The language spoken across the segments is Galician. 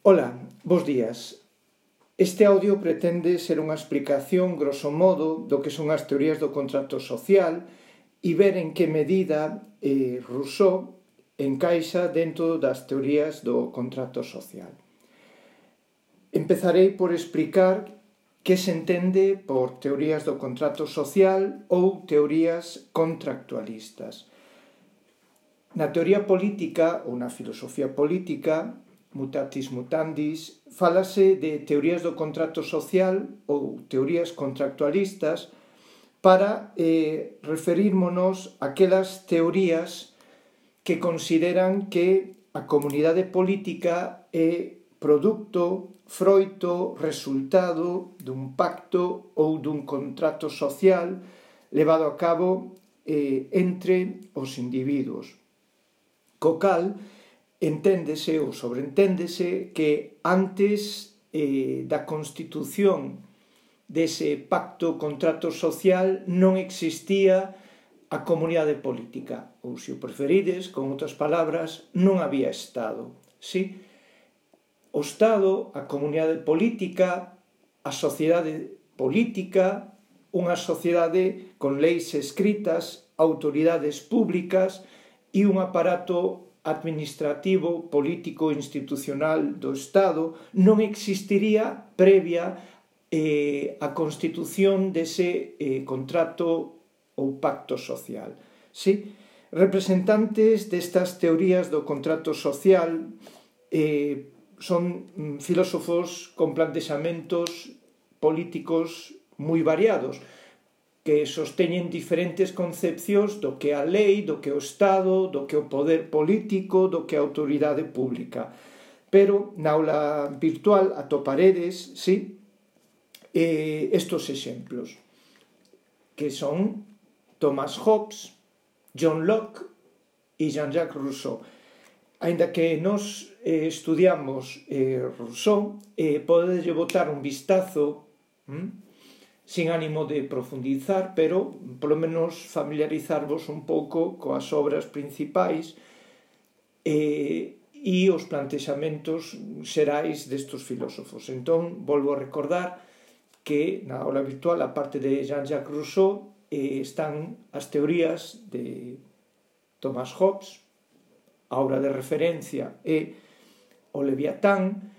Ola, bos días. Este audio pretende ser unha explicación, grosso modo, do que son as teorías do contrato social e ver en que medida Rousseau encaixa dentro das teorías do contrato social. Empezarei por explicar que se entende por teorías do contrato social ou teorías contractualistas. Na teoría política ou na filosofía política, mutatis mutandis, fálase de teorías do contrato social ou teorías contractualistas para referírmonos a aquelas teorías que consideran que a comunidade política é produto, froito, resultado dun pacto ou dun contrato social levado a cabo entre os individuos. Co cal, enténdese ou sobreenténdese que antes da constitución dese pacto contrato social non existía a comunidade política, ou se o preferides, con outras palabras, non había Estado. Sí? O Estado, a comunidade política, a sociedade política, unha sociedade con leis escritas, autoridades públicas e un aparato administrativo, político e institucional do Estado non existiría previa a constitución dese contrato ou pacto social. Sí? Representantes destas teorías do contrato social son filósofos con plantexamentos políticos moi variados, que sosteñen diferentes concepcións do que é a lei, do que é o Estado, do que é o poder político, do que é a autoridade pública. Pero na aula virtual atoparedes, sí, estos exemplos, que son Thomas Hobbes, John Locke e Jean-Jacques Rousseau. Aínda que nos estudiamos Rousseau, podedelle botar un vistazo sin ánimo de profundizar, pero polo menos familiarizarvos un pouco coas obras principais e os plantexamentos xerais destes filósofos. Entón, volvo a recordar que na aula virtual, a parte de Jean-Jacques Rousseau, están as teorías de Thomas Hobbes, a obra de referencia é o Leviatán,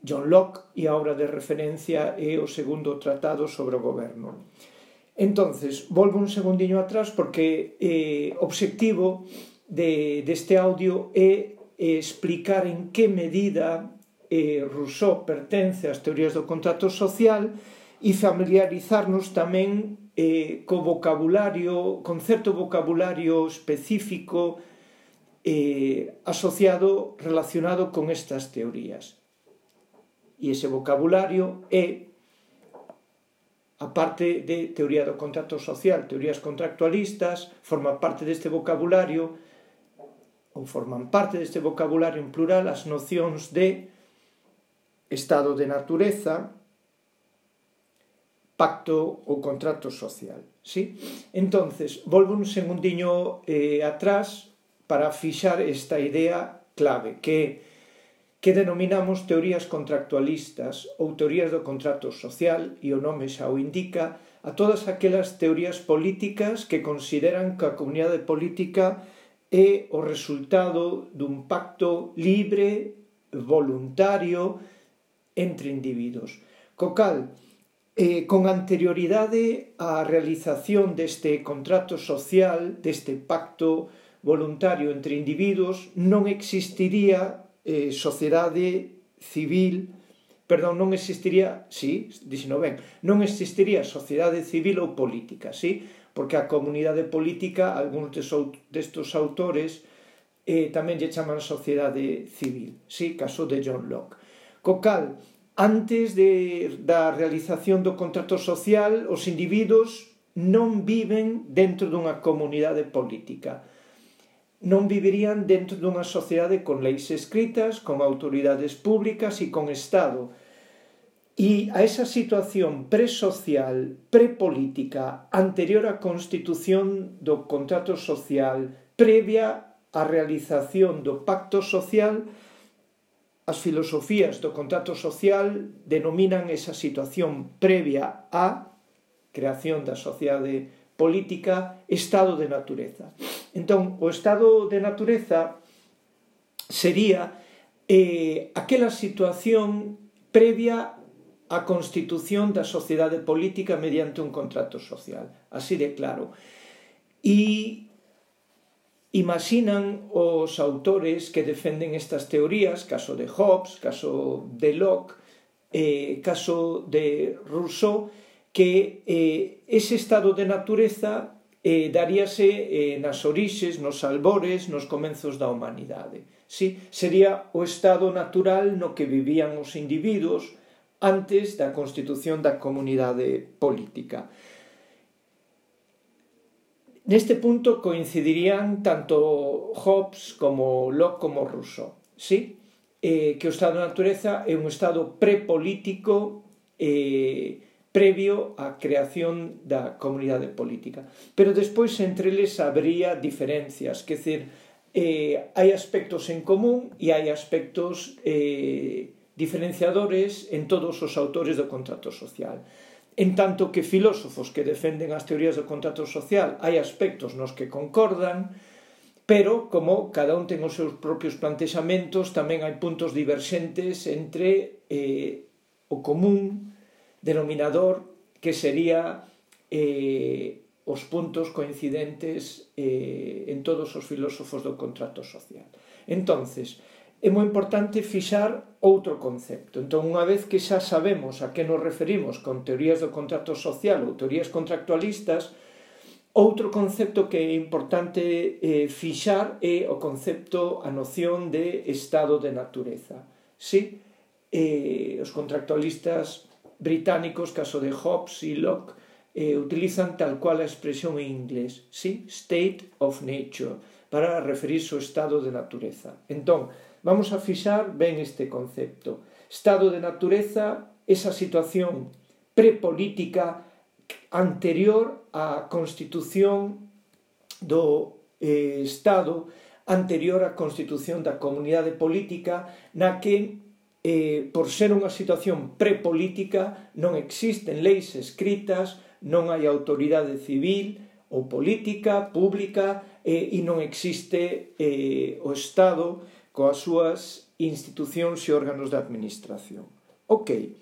John Locke e a obra de referencia é o segundo tratado sobre o goberno. Entonces, volvo un segundiño atrás porque o obxectivo deste audio é explicar en que medida Rousseau pertence ás teorías do contrato social e familiarizarnos tamén co vocabulario, con certo vocabulario específico asociado, relacionado con estas teorías. E ese vocabulario é, a parte de teoría do contrato social, teorías contractualistas, forman parte deste vocabulario, ou forman parte deste vocabulario en plural as nocións de estado de natureza, pacto ou contrato social. Sí? Entonces, volvo un segundiño atrás para fixar esta idea clave, que denominamos teorías contractualistas ou teorías do contrato social, e o nome xa o indica, a todas aquelas teorías políticas que consideran que a comunidade política é o resultado dun pacto libre, voluntario, entre individuos. Co cal, con anterioridade á realización deste contrato social, deste pacto voluntario entre individuos, non existiría sociedade civil, non existiría sociedade civil ou política, sí? Porque a comunidade política, algúns destes autores tamén lle chaman sociedade civil, sí? Caso de John Locke. Co cal, antes da realización do contrato social, os individuos non viven dentro dunha comunidade política. Non vivirían dentro dunha sociedade con leis escritas, con autoridades públicas e con Estado. E a esa situación presocial, prepolítica, anterior á constitución do contrato social, previa á realización do pacto social, as filosofías do contrato social denominan esa situación previa á creación da sociedade política estado de natureza. Entón, o estado de natureza sería aquela situación previa á constitución da sociedade política mediante un contrato social. Así de claro. E imaxinan os autores que defenden estas teorías, caso de Hobbes, caso de Locke, caso de Rousseau, que ese estado de natureza daríase nas orixes, nos albores, nos comenzos da humanidade. Sí? Sería o estado natural no que vivían os individuos antes da constitución da comunidade política. Neste punto coincidirían tanto Hobbes como Locke como Rousseau, sí? Que o estado de natureza é un estado prepolítico previo á creación da comunidade política. Pero despois entre eles habría diferencias, que decir, hai aspectos en común e hai aspectos diferenciadores en todos os autores do contrato social. En tanto que filósofos que defenden as teorías do contrato social hai aspectos nos que concordan, pero como cada un ten os seus propios plantexamentos, tamén hai puntos diverxentes entre o común denominador, que sería os puntos coincidentes en todos os filósofos do contrato social. Entonces, é moi importante fixar outro concepto. Entón, unha vez que xa sabemos a que nos referimos con teorías do contrato social ou teorías contractualistas, outro concepto que é importante fixar é o concepto, a noción de estado de natureza. Sí? Os contractualistas británicos, caso de Hobbes e Locke, utilizan tal cual a expresión en inglés, sí? State of nature, para referirse ao estado de natureza. Entón, vamos a fixar ben este concepto. Estado de natureza, esa situación prepolítica anterior á constitución do Estado, anterior á constitución da comunidade política, na que, por ser unha situación prepolítica, non existen leis escritas, non hai autoridade civil ou política, pública, e non existe o Estado coas súas institucións e órganos de administración. Ok.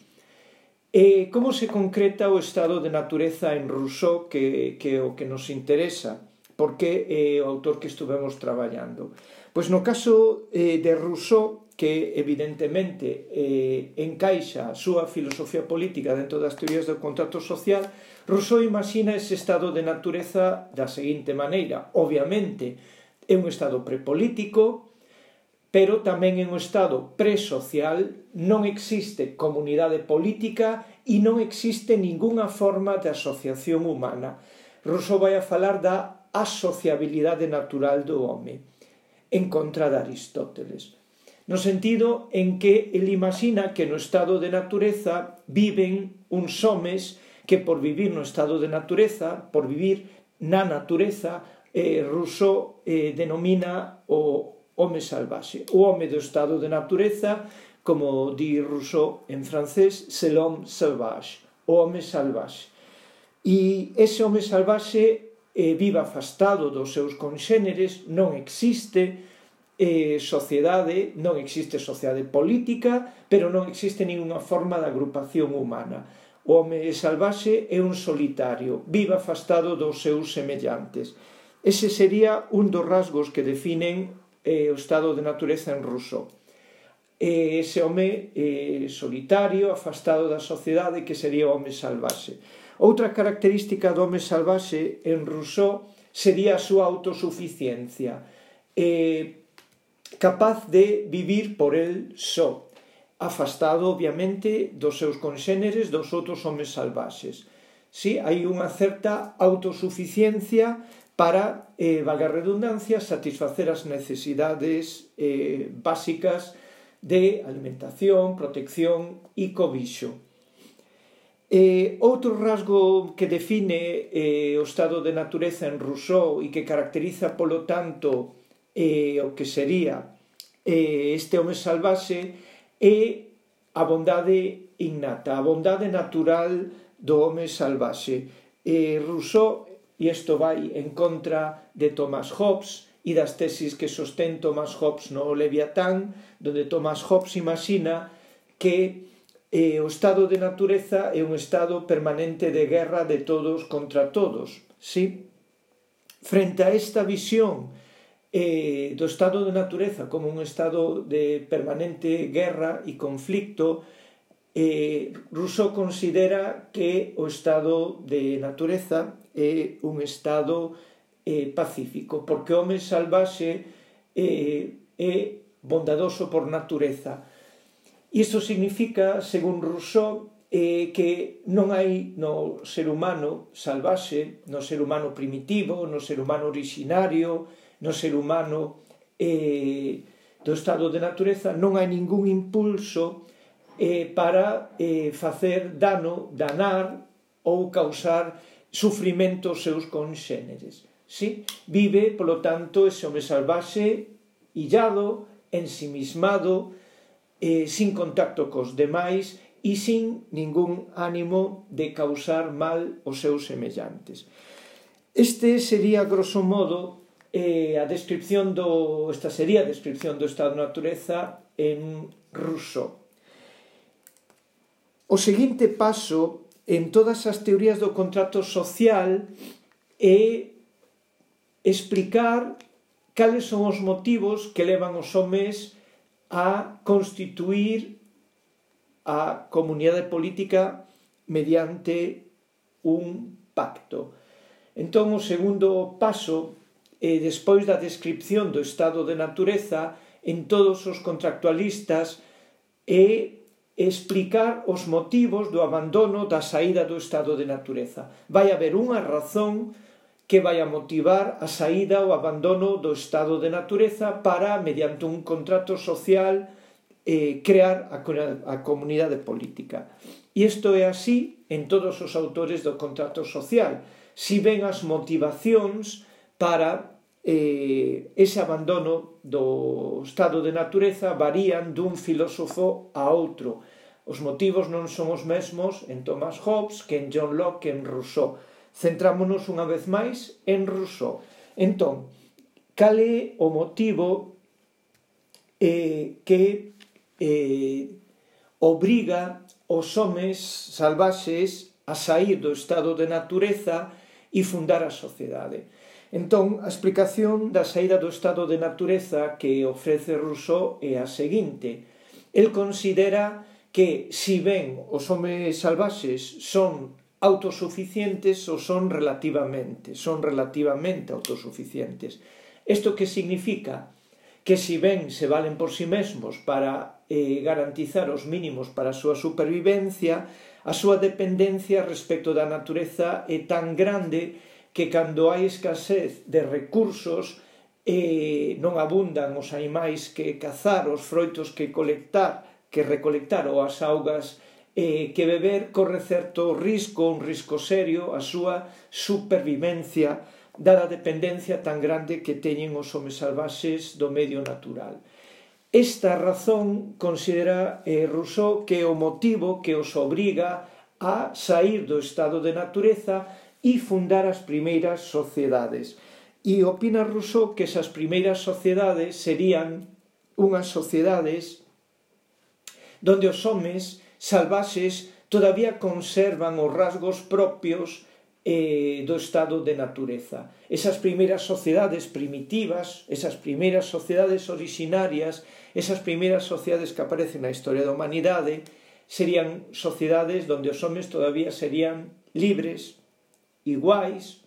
Como se concreta o estado de natureza en Rousseau, que é o que nos interesa, porque é o autor que estuvemos traballando? Pois no caso de Rousseau, que evidentemente encaixa a súa filosofía política dentro das teorías do contrato social, Rousseau imagina ese estado de natureza da seguinte maneira. Obviamente, é un estado prepolítico, pero tamén é un estado presocial, non existe comunidade política e non existe ningunha forma de asociación humana. Rousseau vai a falar da asociabilidade natural do home, en contra de Aristóteles, no sentido en que ele imagina que no estado de natureza viven uns homes que por vivir no estado de natureza, por vivir na natureza, Rousseau denomina o home salvaxe. O home do estado de natureza, como di Rousseau en francés, c'est l'homme sauvage, o home salvaxe. E ese home salvaxe vive afastado dos seus conxéneres, non existe sociedade, non existe sociedade política, pero non existe ninguna forma de agrupación humana. O home salvaxe é un solitario, vive afastado dos seus semellantes. Ese sería un dos rasgos que definen o estado de natureza en Rousseau. Ese home solitario, afastado da sociedade, que sería o home salvaxe. Outra característica do home salvaxe en Rousseau sería a súa autosuficiencia, capaz de vivir por el só, afastado, obviamente, dos seus conxéneres, dos outros homes salvaxes. Sí, hai unha certa autosuficiencia para, valga a redundancia, satisfacer as necesidades básicas de alimentación, protección e cobixo. Outro rasgo que define o estado de natureza en Rousseau e que caracteriza, polo tanto, o que sería este home salvaxe e a bondade innata, a bondade natural do home salvaxe. Rousseau, e isto vai en contra de Thomas Hobbes e das tesis que sostén Thomas Hobbes no Leviatán, donde Thomas Hobbes imagina que o estado de natureza é un estado permanente de guerra de todos contra todos. ¿Sí? Frente a esta visión do estado de natureza como un estado de permanente guerra e conflicto, Rousseau considera que o estado de natureza é un estado pacífico, porque o home salvaxe é bondadoso por natureza. Isto significa, según Rousseau, que non hai no ser humano salvaxe, no ser humano primitivo, no ser humano originario, no ser humano do estado de natureza, non hai ningún impulso para facer dano, danar ou causar sufrimento aos seus conxéneres. ¿Sí? Vive, polo tanto, ese home salvaxe illado, ensimismado, sin contacto cos demais e sin ningún ánimo de causar mal aos seus semellantes. Este sería, grosso modo, esta sería a descripción do estado de natureza en Rousseau. O seguinte paso en todas as teorías do contrato social é explicar cales son os motivos que levan os homes a constituir a comunidade política mediante un pacto. Entón, o segundo paso, despois da descripción do estado de natureza en todos os contractualistas, é explicar os motivos do abandono da saída do estado de natureza. Vai haber unha razón que vai a motivar a saída ou abandono do estado de natureza para, mediante un contrato social, crear a comunidade política. E isto é así en todos os autores do contrato social. Si ben as motivacións para ese abandono do estado de natureza varían dun filósofo a outro. Os motivos non son os mesmos en Thomas Hobbes que en John Locke que en Rousseau. Centrámonos unha vez máis en Rousseau. Entón, cal é o motivo que obriga os homes salvaxes a sair do estado de natureza e fundar a sociedade? Entón, a explicación da saída do estado de natureza que ofrece Rousseau é a seguinte. El considera que, si ben os homes salvaxes son autosuficientes ou son relativamente autosuficientes. Isto que significa? Que si ben se valen por si mesmos para garantizar os mínimos para a súa supervivencia, a súa dependencia respecto da natureza é tan grande que cando hai escasez de recursos non abundan os animais que cazar, os froitos que recolectar ou as augas que beber, corre certo risco, un risco serio, a súa supervivencia, dada a dependencia tan grande que teñen os homes salvaxes do medio natural. Esta razón considera Rousseau que é o motivo que os obriga a sair do estado de natureza e fundar as primeiras sociedades. E opina Rousseau que esas primeiras sociedades serían unhas sociedades donde os homes salvaxes todavía conservan os rasgos propios do estado de natureza. Esas primeiras sociedades primitivas, esas primeiras sociedades originarias, esas primeiras sociedades que aparecen na historia da humanidade, serían sociedades donde os homes todavía serían libres, iguais,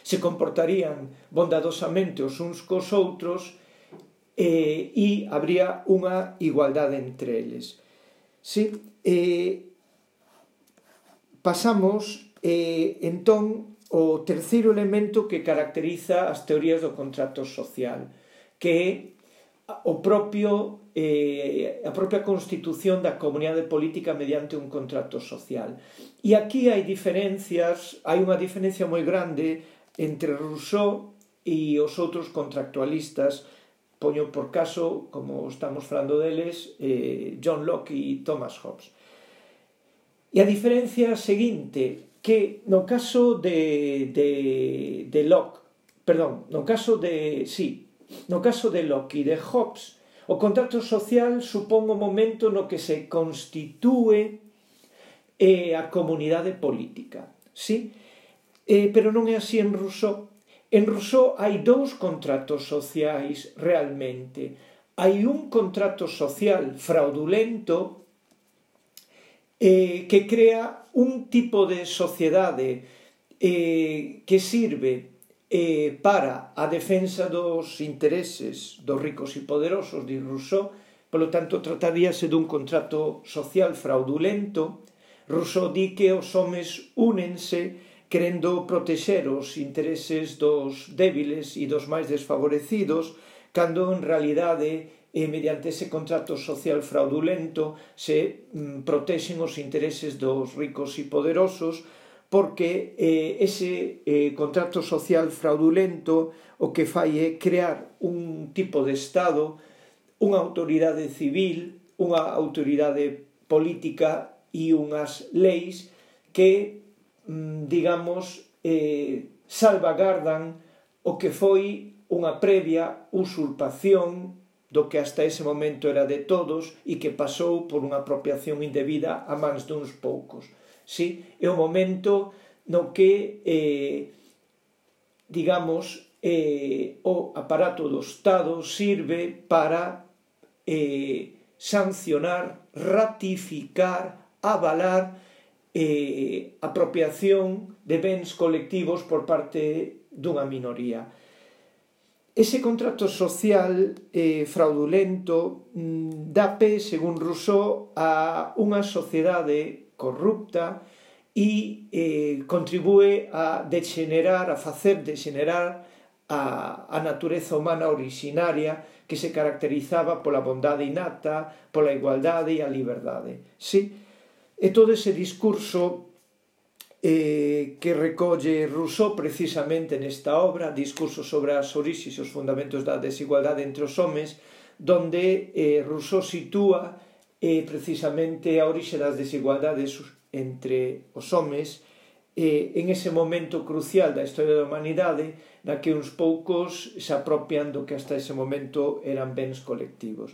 se comportarían bondadosamente os uns cos outros e habría unha igualdade entre eles. Sí, pasamos entón ao terceiro elemento que caracteriza as teorías do contrato social, que é a propia constitución da comunidade política mediante un contrato social. E aquí hai unha diferencia moi grande entre Rousseau e os outros contractualistas, poño por caso, como estamos falando deles, John Locke e Thomas Hobbes. E a diferencia seguinte, que no caso de Locke, perdón, no caso de Locke e de Hobbes, o contrato social supón o momento no que se constitúe a comunidade política, sí? Pero non é así en Rousseau. En Rousseau hai dous contratos sociais realmente. Hai un contrato social fraudulento que crea un tipo de sociedade que sirve para a defensa dos intereses dos ricos e poderosos, di Rousseau. Polo tanto, trataríase dun contrato social fraudulento. Rousseau di que os homes únense querendo protexer os intereses dos débiles e dos máis desfavorecidos, cando en realidade, mediante ese contrato social fraudulento, se protexen os intereses dos ricos e poderosos, porque ese contrato social fraudulento o que fai é crear un tipo de Estado, unha autoridade civil, unha autoridade política e unhas leis que, digamos, salvagardan o que foi unha previa usurpación do que hasta ese momento era de todos e que pasou por unha apropiación indebida a mans duns poucos. Sí? É o momento no que, digamos, o aparato do Estado sirve para sancionar, ratificar, avalar apropiación de bens colectivos por parte dunha minoría. Ese contrato social fraudulento dá pé, según Rousseau, a unha sociedade corrupta e contribúe a facer degenerar a natureza humana originaria que se caracterizaba pola bondade innata, pola igualdade e a liberdade. Sí? E todo ese discurso que recolle Rousseau precisamente nesta obra, Discurso sobre as orixes e os fundamentos da desigualdade entre os homes, donde Rousseau sitúa precisamente a orixe das desigualdades entre os homes en ese momento crucial da historia da humanidade na que uns poucos se apropian do que hasta ese momento eran bens colectivos.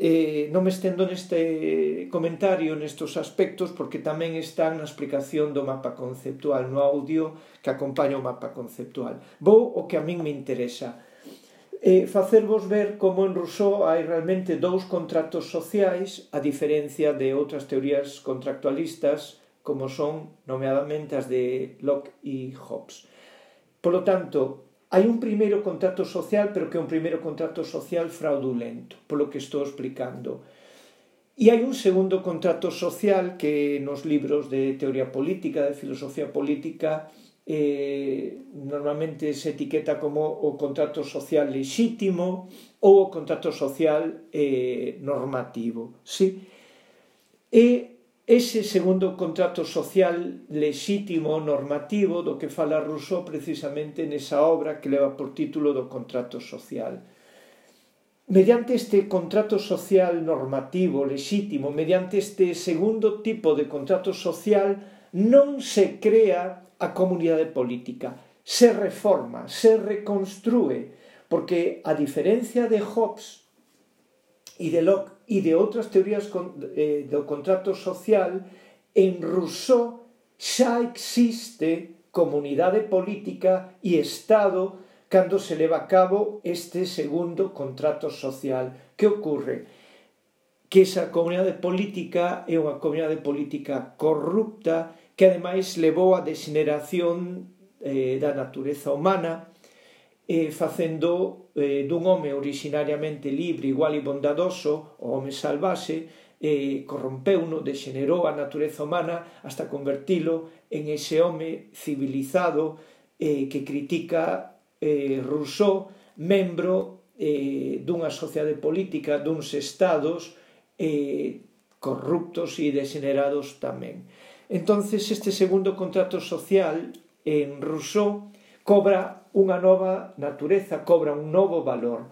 Non me estendo neste comentario, nestes aspectos, porque tamén está na explicación do mapa conceptual, no audio que acompaña o mapa conceptual. Vou o que a min me interesa. Facervos ver como en Rousseau hai realmente dous contratos sociais, a diferencia de outras teorías contractualistas, como son, nomeadamente, as de Locke e Hobbes. Por lo tanto, hai un primeiro contrato social, pero que é un primeiro contrato social fraudulento, polo que estou explicando. E hai un segundo contrato social que nos libros de teoría política, de filosofía política, normalmente se etiqueta como o contrato social lexítimo ou o contrato social normativo. Sí? E ese segundo contrato social lexítimo, normativo, do que fala Rousseau precisamente nesa obra que leva por título do contrato social. Mediante este contrato social normativo, lexítimo, mediante este segundo tipo de contrato social, non se crea a comunidade política, se reforma, se reconstrúe, porque a diferencia de Hobbes e de Locke e de outras teorías do contrato social, en Rousseau xa existe comunidade política e Estado cando se leva a cabo este segundo contrato social. Que ocorre? Que esa comunidade política é unha comunidade política corrupta que ademais levou a degeneración da natureza humana, facendo dun home originariamente libre, igual e bondadoso, o home salvaxe, corrompeuno, degenerou a natureza humana hasta convertilo en ese home civilizado que critica Rousseau, membro dunha sociedade política, duns estados corruptos e degenerados tamén. Entonces, este segundo contrato social en Rousseau cobra unha nova natureza, cobra un novo valor.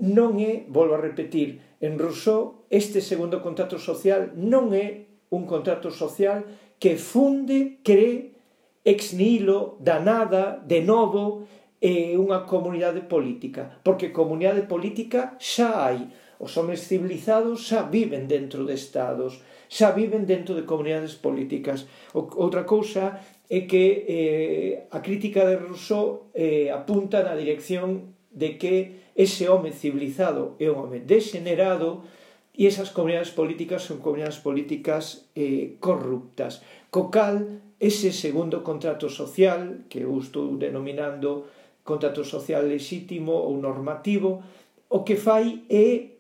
non é, volvo a repetir, en Rousseau, este segundo contrato social non é un contrato social que funde, cree, ex nihilo, da nada, de novo, unha comunidade política, porque comunidade política xa hai. Os homes civilizados xa viven dentro de estados, xa viven dentro de comunidades políticas. Outra cousa é que a crítica de Rousseau apunta na dirección de que ese home civilizado é un home degenerado e esas comunidades políticas son comunidades políticas corruptas. Co cal, ese segundo contrato social, que eu estou denominando contrato social lexítimo ou normativo, o que fai é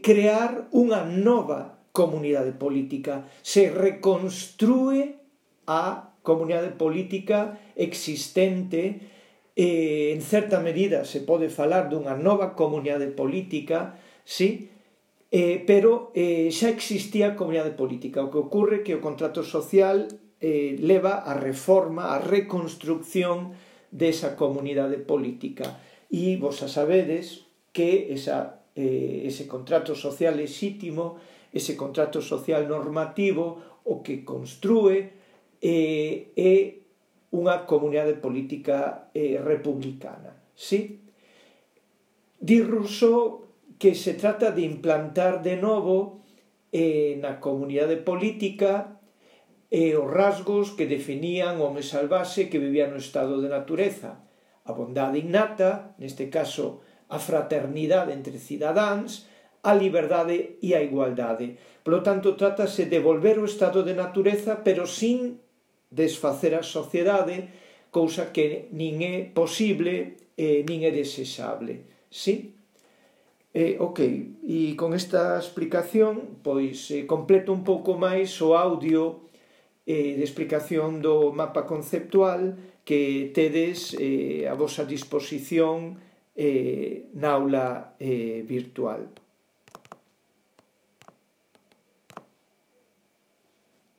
crear unha nova comunidade política. Se reconstrúe a comunidade política existente. En certa medida se pode falar dunha nova comunidade política, sí, pero xa existía a comunidade política. O que ocorre é que o contrato social leva a reforma, a reconstrucción desa comunidade política. E vos a sabedes que ese contrato social lexítimo, ese contrato social normativo, o que construe é unha comunidade política republicana. Sí? Di Rousseau que se trata de implantar de novo na comunidade política os rasgos que definían o home salvaxe que vivía no estado de natureza. A bondade innata, neste caso a fraternidade entre cidadáns, a liberdade e a igualdade. Por lo tanto, trátase de volver ao estado de natureza, pero sin desfacer a sociedade, cousa que nin é posible nin é desexable. Sí? Ok, e con esta explicación, pois, completo un pouco máis o audio de explicación do mapa conceptual que tedes a vosa disposición na aula virtual.